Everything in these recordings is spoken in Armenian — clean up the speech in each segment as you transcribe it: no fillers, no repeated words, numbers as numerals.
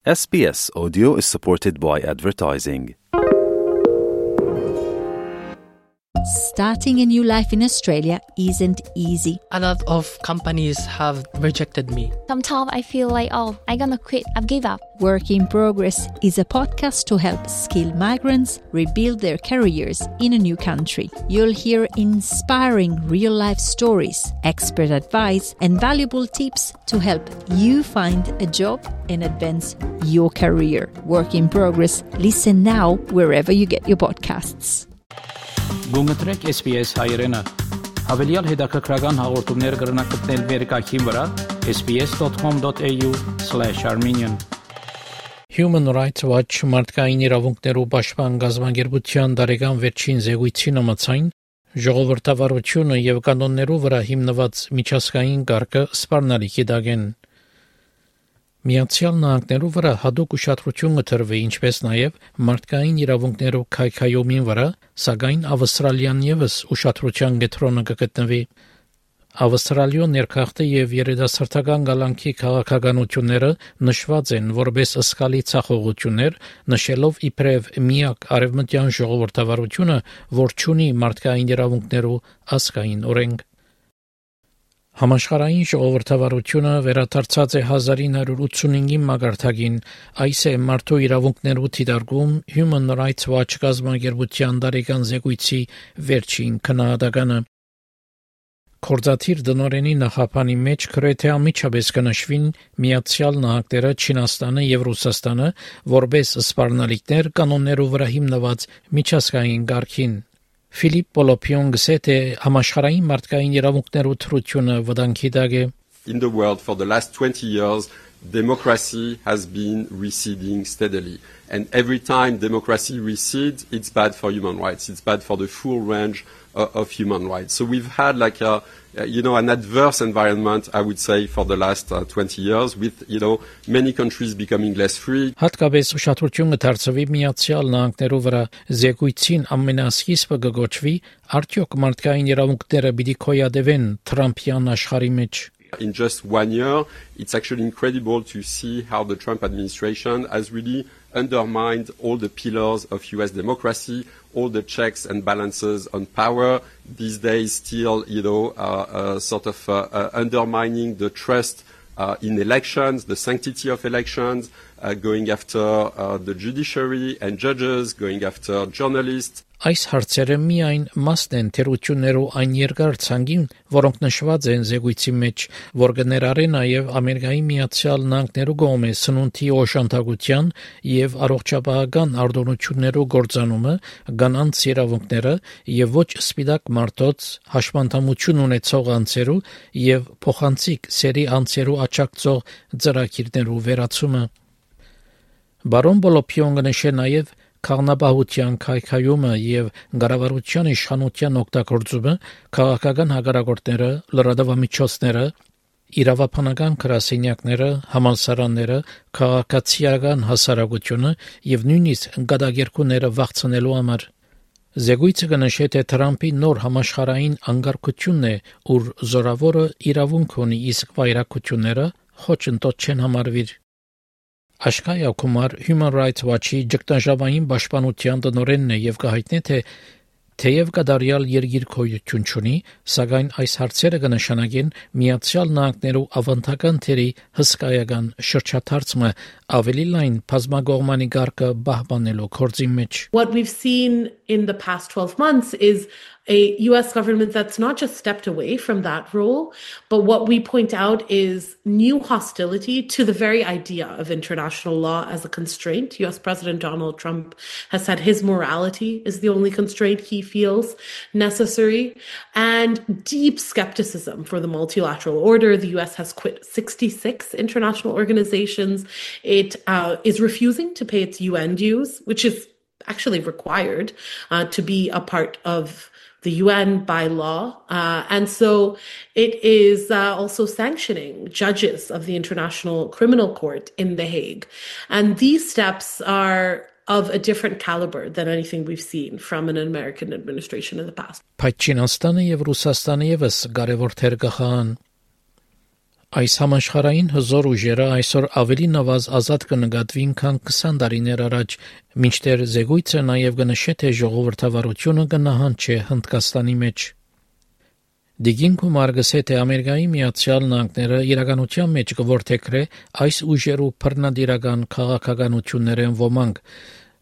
SBS Audio is supported by advertising. Starting a new life in Australia isn't easy. A lot of companies have rejected me. Sometimes I feel like, I'm gonna quit, I've give up. Work in Progress is a podcast to help skilled migrants rebuild their careers in a new country. You'll hear inspiring real-life stories, expert advice, and valuable tips to help you find a job and advance your career. Work in Progress. Listen now wherever you get your podcasts. Գունգտրեք SBS հայերենը։ Հավելյալ հետաքրքրական հաղորդումներ կգրնակցնել վերկայքին վրա sbs.com.au/armenian Human Rights Watch մարդկային իրավունքներու պաշտպան գազագերբության դարեգան վերջին զեկույցին համաձայն ժողովրդավարությունը եւ կանոններու վրա հիմնված միջազգային կարգը սպառնալիքի դագեն Միացյալ Նահանգներու վրա հատուկ ուշադրություն կտրվի, ինչպես նաև մարդկային իրավունքներու քայքայումին վրա, սակայն Ավստրալիան ևս ուշադրության կենտրոնում կգտնվի։ Ավստրալիո ներքախտի եւ երիտասարդական գալանքի քաղաքականությունները նշված են որպես ըսկալի ցախողություններ, նշելով իբրև միակ արևմտյան ժողովրդավարությունը, որ չունի մարդկային իրավունքներու ազգային օրենք։ Համաշխարհային ժողովրդավարությունը վերադարձած է 1985-ի մագարտակին, այս է մարդու իրավունքներու թիդարգում Human Rights Watch գազագերբության դարեգան զեկույցի վերջին քննադատականը։ Կորզաթիր դնորենի նախապանի մեջ գրեթե ամիջապես կնշվին Միացյալ Նահանգները, Չինաստանը եւ Ռուսաստանը որպես սպառնալիքներ կանոններու վրա հիմնված միջազգային կարգին։ Ֆիլիպ Պոլոպիոն գսեթե համաշխարհային մարդկային իրավունքներու թրությունը վտանգի դակ է։ In the world for the last 20 years, democracy has been receding steadily. And every time democracy recedes, it's bad for human rights. It's bad for the full range of human rights. So we've had like an adverse environment, I would say, for the last 20 years with, many countries becoming less free. Հատկապես ուշադրություն կդարձվի Միացյալ Նահանգներու վրա զեկույցին ամենասկիզբը կգոչվի արդյոք մարդկային իրավունքները պիտի քոյադևեն Թրամփյան աշխարհի մեջ։ In just 1 year, it's actually incredible to see how the Trump administration has really undermined all the pillars of US democracy, all the checks and balances on power. These days still, undermining the trust in elections, the sanctity of elections, going after the judiciary and judges, going after journalists. Այս հարցերը միայն մասն են թերություններու այն երկար ցանկին, որոնք նշված են զեկույցի մեջ, որ կներառեն նաև Ամերիկայի Միացյալ Նահանգներու կողմէ սնունդի օժանդակության եւ առողջապահական արտոնություններու գործանումը, կանանց իրավունքները եւ ոչ սպիտակ մարդոց հաշմանդամություն ունեցող անձերու եւ փոխանցիկ սերի անձերու աճակցող ծրագիրներու վերացումը։ Բարոն Պոլոպիոնը նշել նաև Քաղաքապահության քայքայումը եւ գարավարության իշխանության օգտագործումը քաղաքական հակառակորդները, լրատվամիջոցները, իրավապանական գրասենյակները, համալսարանները, քաղաքացիական հասարակությունը եւ նույնիսկ գադագերքուները վախցնելու համար։ Զեկույցը կնշի, թե Թրամփի նոր համաշխարհային անկարգությունն է, ուր զորավորը իրավունք ունի, իսկ վայրակությունները խոչընդոտ չեն համարվիր։ Աշկայա Կումար Human Rights Watch-ի ճգնաժամային պաշտպանության տնօրենն է եւ կհայտնի, թե թեև կդարյալ երկիրքոյություն չունի, սակայն այս հարցերը կնշանակեն Միացյալ Նահանգներու ավանդական թերի հսկայական շրջադարձը ավելի լայն բազմակողմանի կարգը պահպանելու գործի մեջ։ What we've seen in the past 12 months is a US government that's not just stepped away from that role, but what we point out is new hostility to the very idea of international law as a constraint. US President Donald Trump has said his morality is the only constraint he feels necessary, and deep skepticism for the multilateral order. The US has quit 66 international organizations. It is refusing to pay its UN dues, which is actually required to be a part of the UN by law. And so it is also sanctioning judges of the International Criminal Court in The Hague. And these steps are of a different caliber than anything we've seen from an American administration in the past. Բայց Չինաստանը եւ Ռուսաստանը եւս կարեւոր թեր կխաղան։ Այս համաշխարհային հզոր ուժերը այսօր ավելի նվազ ազատ կնկատվին, քան 20 տարիներ առաջ, մինչդեռ զեկույցը նաև կնշե, թե ժողովրդավարությունը կնահանջի Հնդկաստանի մեջ։ Դիգին Կումար գսե, թե Ամերիկայի Միացյալ Նահանգները իրականության մեջ կորթեքրե այս ուժերու բռնադիրական քաղաքականություններեն ոմանք,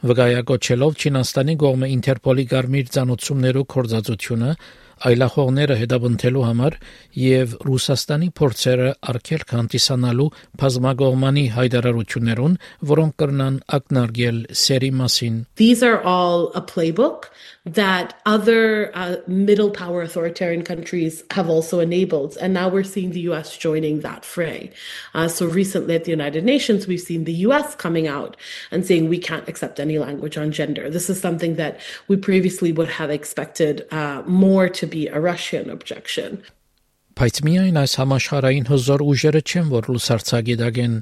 վկայակոչելով Չինաստանի կողմը Ինտերպոլի գարմիր ցանոցումներու կորզածությունը, այլախոհները հետապնդելու համար եւ Ռուսաստանի փորձերը արգելք հանդիսանալու բազմակողմանի հայտարարություններուն, որոնք կրնան ակնարկել սերի մասին։ These are all a playbook that other middle power authoritarian countries have also enabled. And now we're seeing the US joining that fray. So recently at the United Nations, we've seen the US coming out and saying we can't accept any language on gender. This is something that we previously would have expected more to be a Russian objection. Բայց միայն այս համաշխարհային հզոր ուժերը չեն, որ լուսարձակի դագեն։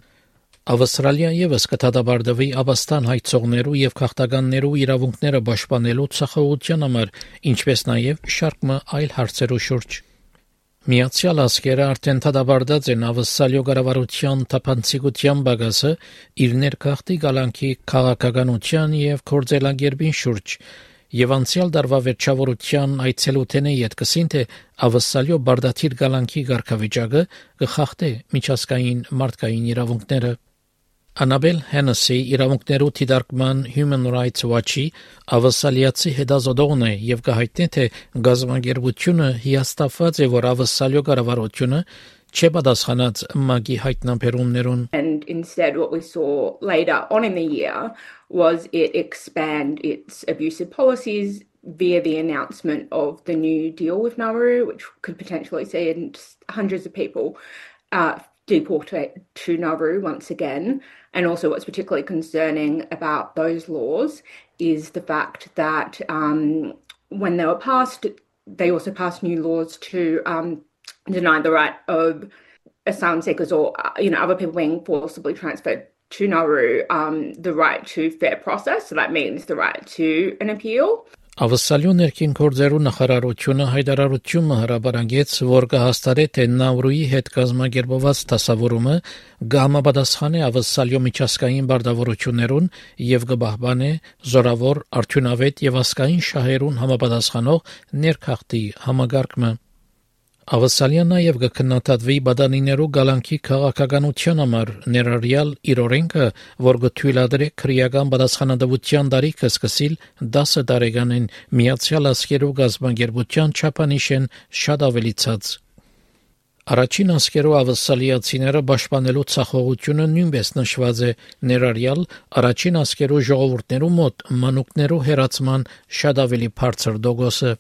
Ավստրալիա եւս կդատաբարդվի Աբաստան հայցողներու եւ քաղաքականներու իրավունքները պաշտպանելու ցախողության համար, ինչպես նաեւ շարքը այլ հարցերու շուրջ։ Միացյալ Ազգերը արդեն դատաբարդած են Ավստրալիո կառավարության թափանցիկության բագասը իր ներքախտի գալանքի քաղաքականության եւ կորձելագերբին շուրջ։ Եվ անցյալ դարվա վերջավորության այցելութենը յետքսին, թե Ավստրալիո բարդաթիր գալանքի ղարքավիճակը կխախտե միջազգային մարդկային իրավունքները։ Անաբել Հենեսի իրավունքներու դիտարկման Human Rights Watch-ի ավստրալիացի հետազոտողն է եւ կհայտնի, թե գազམ་ագերբությունը հիաստափված է, որ Ավստրալիո կառավարությունը չէ պատասխանած ՄԱԳ-ի հայտնաբերումներուն։ And instead what we saw later on in the year was it expand its abusive policies via the announcement of the new deal with Nauru, which could potentially see hundreds of people deported to Nauru once again. And also what's particularly concerning about those laws is the fact that when they were passed, they also passed new laws to deny the right of asylum seekers or other people being forcibly transferred to Nauru the right to fair process. So that means the right to an appeal. Ավստրալիո ներքին գործերու նախարարությունը հայտարարություն հրապարակեց, որ կհաստատի, թե Նաուրուի հետ կազմակերպված դասավորումը կհամապատասխանի Ավստրալիո միջազգային բարդավորություններուն եւ կպահպանի զորավոր, արդյունավետ եւ ազգային շահերուն համապատասխանող ներքախտի համագարկումը։ Ավստրալիան նաև կքննադատվի բադանիներու գալանքի քաղաքականության համար, ներառյալ իր օրենքը, որ կթույլատրի քրեական պատասխանատվության տարիքը սկսել 10 տարեկանին Միացյալ Ազգերու գազམ་ագերբության չափանիշեն շատ ավելիցած։ Առաջին ազգերու ավստրալիացիները պաշտպանելու ցախողությունը նույնպես նշված է, ներառյալ առաջին ազգերու ժողովուրդներու մոտ մանուկներու հերացման շատ ավելի բարձր դոգոսը։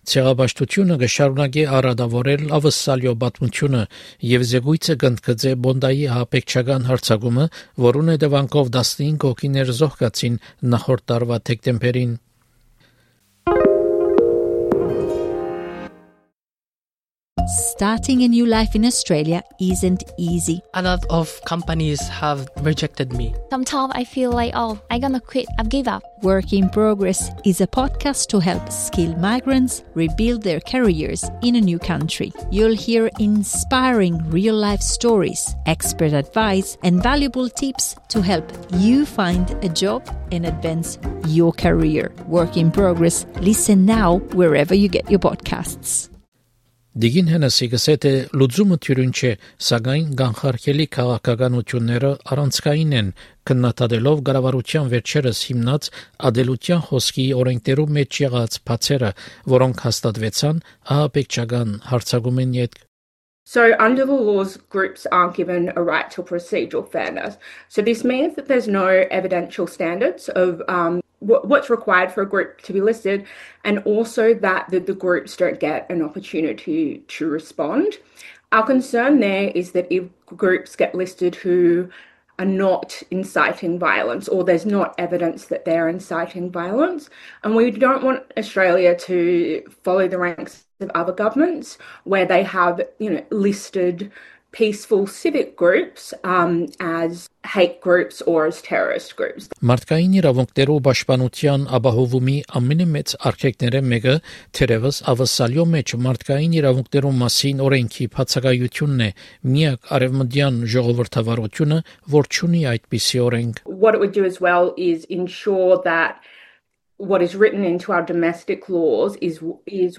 Ցեղաբաշխությունը կշարունակի առադավորել Ավստրալիո պատմությունը եւ զեկույցը կընդգծե Բոնդայի հապեկչական հարձակումը, որուն հետևանքով 15 հոգիներ զոհկացին նախորդ տարվա դեկտեմբերին։ Starting a new life in Australia isn't easy. A lot of companies have rejected me. Sometimes I feel like, I'm gonna quit. I've give up. Work in Progress is a podcast to help skilled migrants rebuild their careers in a new country. You'll hear inspiring real-life stories, expert advice, and valuable tips to help you find a job and advance your career. Work in Progress. Listen now wherever you get your podcasts. Դիգին Հենեսի գսե, թե լուծումը թյուրին չէ, սակայն կանխարգելի քաղաքականությունները առանցքային են, քննադատելով կառավարության վերջերս հիմնած ադելության խոսքի օրենքներու մեջ եղած բացերը, որոնք հաստատվեցան ահաբեկչական հարձակումին յետք։ So under the laws, groups aren't given a right to procedural fairness. So this means that there's no evidential standards of what's required for a group to be listed, and also that the groups don't get an opportunity to respond. Our concern there is that if groups get listed who are not inciting violence, or there's not evidence that they're inciting violence, and we don't want Australia to follow the ranks of other governments where they have, listed peaceful civic groups as hate groups or as terrorist groups. Մարդկային իրավունքներու պաշտպանության ապահովումի ամենամեծ արգելքները մեկը թերևս ավասալյո մեջ մարդկային իրավունքներու մասին օրենքի բացակայությունն է, միակ արևմտյան ժողովրդավարությունը, որ չունի այդպիսի օրենք. What it would do as well is ensure that what is written into our domestic laws is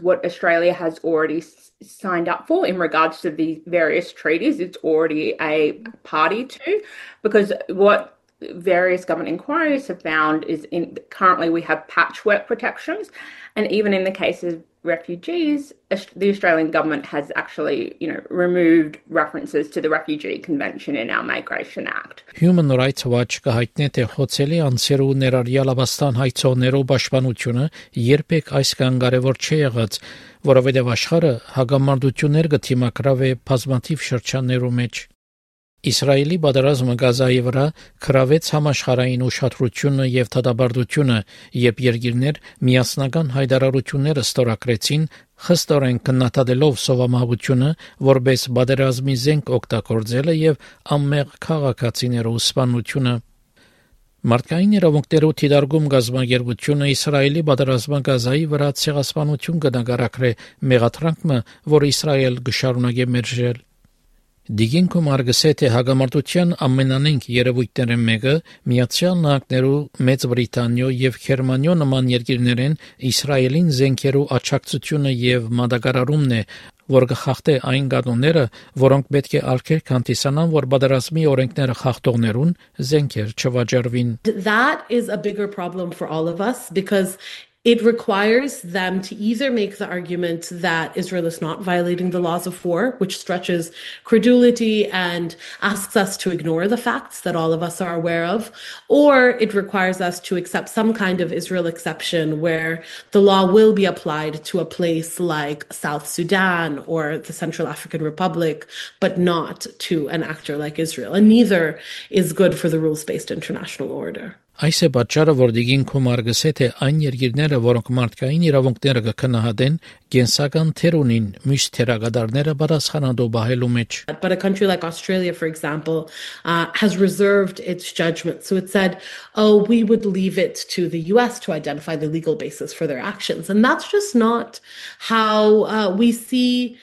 what Australia has already signed up for in regards to the various treaties it's already a party to, because what various government inquiries have found is currently we have patchwork protections, and even in the case of refugees, the Australian government has actually, removed references to the Refugee Convention in our Migration Act. Human Rights Watch կհայտնի թե խոցելի անձերու ներառյալ Աբաստան հայցողներու պաշտպանությունը երբեք այսքան կարևոր չի եղած, որովհետև աշխարհը հագամարտություններ կթիմակրավ է բազմաթիվ շրջաններու մեջ. Իսրայելի պատերազմը Գազայի վրա քրավեց համաշխարհային ուշադրությունը եւ դատաբարդությունը, երբ երկիրներ միասնական հայտարարությունները ստորագրեցին, խստորեն քննադատելով սովամահությունը, որպես պատերազմի զենք օգտագործելը եւ անմեղ քաղաքացիներու սպանությունը. Մարդկային իրավունքներու թիդարգում գազագերբությունը Իսրայելի պատերազմը Գազայի վրա ցեղասպանություն կնկարագրե մեղադրանքը, որ Իսրայել կշարունակե մերժել. Դիգինքում արգսե թե հագամարտության ամենանենք երևույթները մեկը Միացյալ Նահանգներու, Մեծ Բրիտանիո եւ Գերմանիո նման երկիրներեն Իսրայելին զենքերու աչակցությունը եւ մատակարարումն է, որ կխախտե այն կանոնները, որոնք պետք է արգելք հանդիսանան, որ պատերազմի օրենքները խախտողներուն զենքեր չվաճառվին. That is a bigger problem for all of us because it requires them to either make the argument that Israel is not violating the laws of war, which stretches credulity and asks us to ignore the facts that all of us are aware of, or it requires us to accept some kind of Israel exception where the law will be applied to a place like South Sudan or the Central African Republic, but not to an actor like Israel. And neither is good for the rules-based international order. Այս է պատճառը, որ դիգինքում արգսե թե այն երկիրները, որոնք մարդկային իրավունքները կքննադեն, կենսական թեր ունին մյուս թերագադարները պատասխանատու բահելու մեջ. But a country like Australia, for example, has reserved its judgment. So it said, we would leave it to the US to identify the legal basis for their actions. And that's just not how we see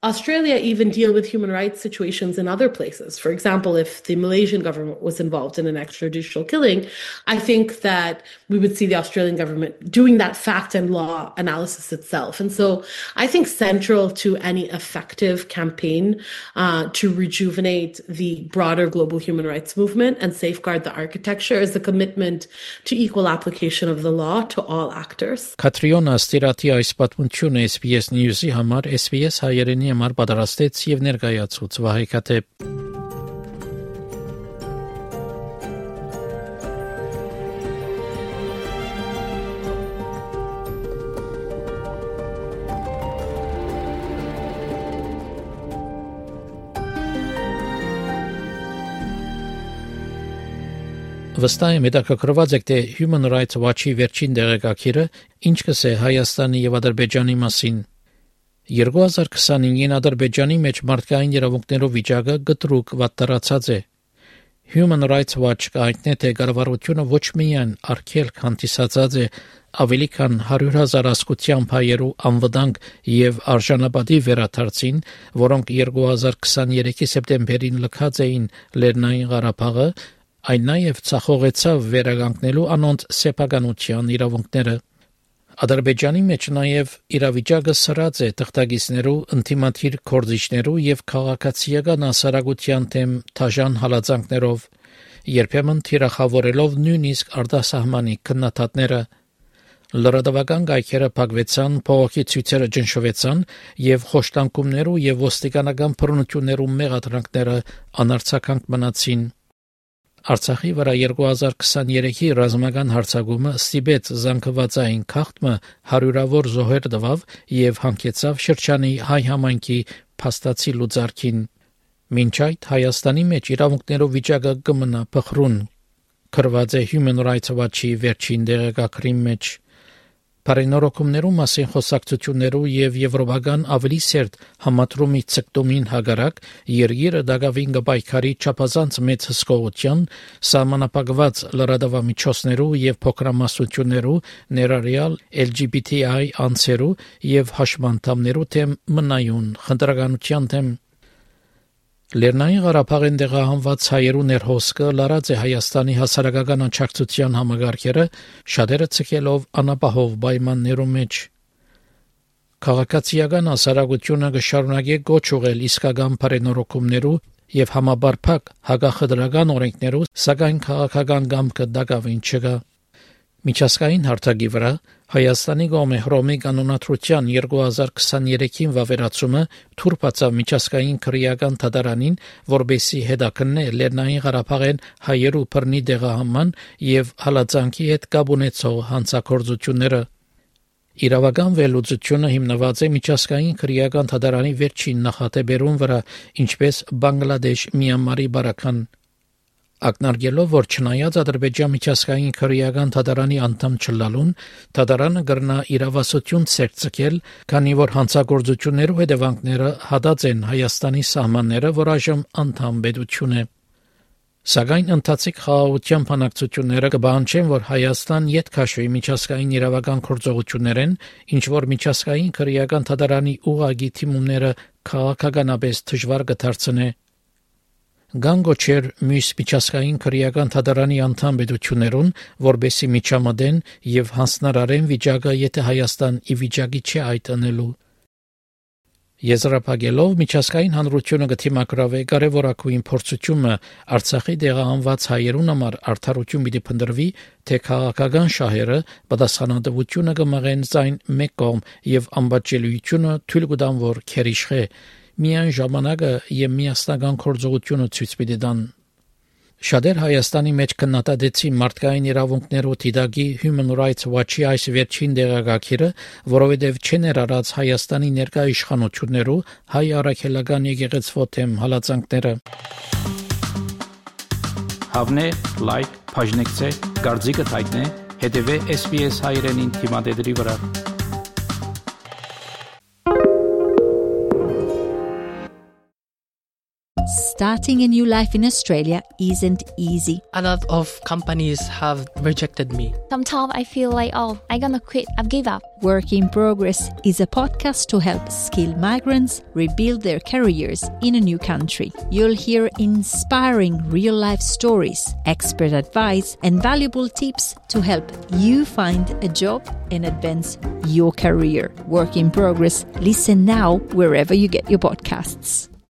Australia even deal with human rights situations in other places. For example, if the Malaysian government was involved in an extrajudicial killing, I think that we would see the Australian government doing that fact and law analysis itself. And so I think central to any effective campaign to rejuvenate the broader global human rights movement and safeguard the architecture is the commitment to equal application of the law to all actors. Katriona Stirati այս պատմությունը SBS News-ի համար SBS հայերենի համար պատրաստեց եւ ներկայացուց Վահե Քաթեփ. Վստահ եմ հետաքրքրված եք թե Human Rights Watch-ի վերջին դեղեկագիրը ինչ կսե Հայաստանի եւ Ադրբեջանի մասին. 2025-ին Ադրբեջանի մեջ մարդկային իրավունքներով վիճակը գտրուկ վատթարացած է. Human Rights Watch կայտնե թե կառավարությունը ոչ միայն արգելք հանդիսացած է ավելի քան 100,000 ասկության հայերու անվտանգ եւ արժանապատի վերադարձին, որոնք 2023-ի սեպտեմբերին լքած էին Լեռնային Ղարաբաղը, այն նաև ցախողեցավ վերականգնելու անոնց սեփականության իրավունքները. Ադրբեջանի մեջ նաև իրավիճակը սրած է թղթակիցներու, ինտիմատիր կորձիչներու եւ քաղաքացիական հասարակության թեմ թաժան հալածանքներով, երբեմն թիրախավորելով նույնիսկ արտասահմանի քննադատները. Լրատվական կայքերը փակվեցան, փողոքի ցույցերը ճնշվեցան եւ խոշտանգումներու եւ ոստիկանական բռնություններու մեղադրանքները անարցականք մնացին. Արցախի վրա 2023-ի ռազմական հարձակումը ստիպեց զանգվածային խախտումը հարյուրավոր զոհեր տվավ եւ հանգեցավ շրջանի հայ համայնքի փաստացի լուծարքին. Մինչ այդ Հայաստանի մեջ իրավունքներով վիճակը կմնա փխրուն, գրված է Human Rights Watch-ի վերջին դեղեկագրի մեջ. Բարենորոգումներու մասին խոսակցություններու եւ եվրոպական ավելի սերտ համատրումի ցկտումին հագարակ երկիրը դակավին գբայքարի չափազանց մեծ հսկողության սահմանապակված լրատվամիջոցներու եւ փոքրամասնություններու ներառյալ LGBTI անձերու եւ հաշմանդամներու թեմ մնայուն խնդրականության թեմ Լեռնային Ղարաբաղին տեղահանված հայերու ներհոսքը լարած է Հայաստանի հասարակական անչակցության համագարկերը շատերը ցկելով անապահով պայմաններու մեջ Քաղաքացիական հասարակությունը կշարունակի գոչ ուղղել իսկական բարենորոգումներու եւ համաբարփակ հագախդրական օրենքներու սակայն քաղաքական կամքը դակավին չկա Միջազգային հարթակի վրա Հայաստանի կողմէ Հռոմի կանոնադրության 2023-ին վավերացումը թուրքացավ միջազգային քրեական դատարանին, որբեսի հետաքննե Լեռնային Ղարաբաղեն հայերու բռնի տեղահանման եւ հալածանքի հետ կապ ունեցող հանցագործությունները Իրավական վերլուծությունը հիմնված է միջազգային քրեական դատարանի վերջին նախադեպերուն վրա, ինչպես Բանգլադեշ, Մյանմարի բարական Ակնարկելով, որ չնայած Ադրբեջան միջազգային քրեական դատարանի անդամ չլալուն, դատարանը կրնա իրավասություն ցերծել, քանի որ հանցագործություններու հետևանքները հատած են Հայաստանի սահմանները, որ այժմ անդամ պետություն է։ Սակայն ընթացիկ խաղաղության բանակցությունները կբանջեն, որ Հայաստան յետ քաշվի միջազգային իրավական գործողություններեն, ինչ որ միջազգային քրեական դատարանի ուղղակի թիմումները քաղաքականապես դժվար կդարձնե։ Գանգոչեր մյուս միջազգային քրեական դատարանի անդամ պետություններուն, որբեսի միջամտեն եւ հանձնարարեն վիճակը, եթե Հայաստան ի վիճակի չէ այդ անելու։ Եզրափակելով միջազգային հանրությունը կթիմակրավե կարևորագույն փորձությունը Արցախի տեղահանված հայերուն համար արդարություն պիտի փնտրվի, թե քաղաքական շահերը պատասխանատվությունը կմղեն ձայն մեկ կողմ եւ անբաճելիությունը թույլ կտան, որ քերիշխե Միայն ժամանակը եւ միասնական գործողությունը ցույց պիտի տան։ Շատեր Հայաստանի մեջ քննադատեցին մարդկային իրավունքներու դիտակի Human Rights Watch-ի այս վերջին դեղագակիրը, որովհետև չներառած Հայաստանի ներկա իշխանություններու հայ առաքելական եկեղեցվո թեմ հալածանքները։ Հավնե, լայք, բաժնեկցե, դարձիկը թայտնե, հետևե SBS հայրենին թիմադեդրի վրա։ Starting a new life in Australia isn't easy. A lot of companies have rejected me. Sometimes I feel like, oh, I'm gonna quit. I've give up. Work in Progress is a podcast to help skilled migrants rebuild their careers in a new country. You'll hear inspiring real-life stories, expert advice, and valuable tips to help you find a job and advance your career. Work in Progress. Listen now wherever you get your podcasts.